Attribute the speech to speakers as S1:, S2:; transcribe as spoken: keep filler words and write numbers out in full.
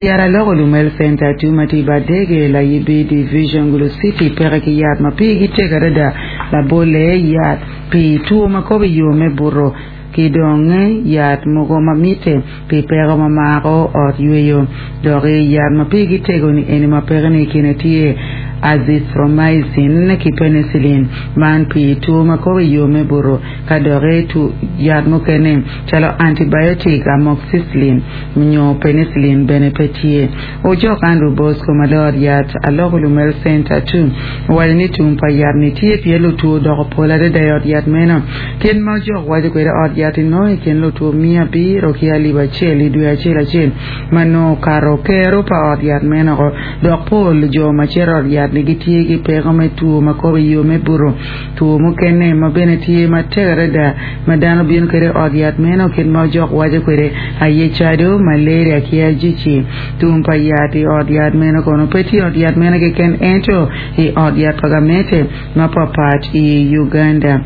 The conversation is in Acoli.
S1: Yat aloko Lumel Center two ma tye i Badege Layibi Division Gulu City peke ki yat ma pigi tek adada labole yat pi two ma kobo i yo me buto ki dong yat mogo ma mitte pi peko ma mako ot yweyo dok yat ma pigi tego ni eni ma peke ni kine tye azithromycin ki penicillin man pi two ma kobo i yo me buto ka dok yat mukene calo antibiotic amoxicillin nyo penicillin bene pe tye. Ojok Andrew Bosco ma lor yat aloko Lumel Center two owaco ni tum pa yat ni tye pien lutwo doko pol adada i ot yat meno. Kit ma ojok waco kwede ot yat inongo i kin lutwo mia abiro ki alip acel i dwe acel acel ma nongo okato kero pa ot yat meno dok pol jo ma cito ot yat ni gitye ki peko me two ma kobo i yo me buto. Two mukene ma bene tye matek adada ma dano bino kwede ot yat meno kit ma ojok waco kwede aye cado malaria ki ajici. Tum pa yat i ot yat meno kono pe tye ot yat meno keken ento i ot yat pa gamente mapapat i Uganda.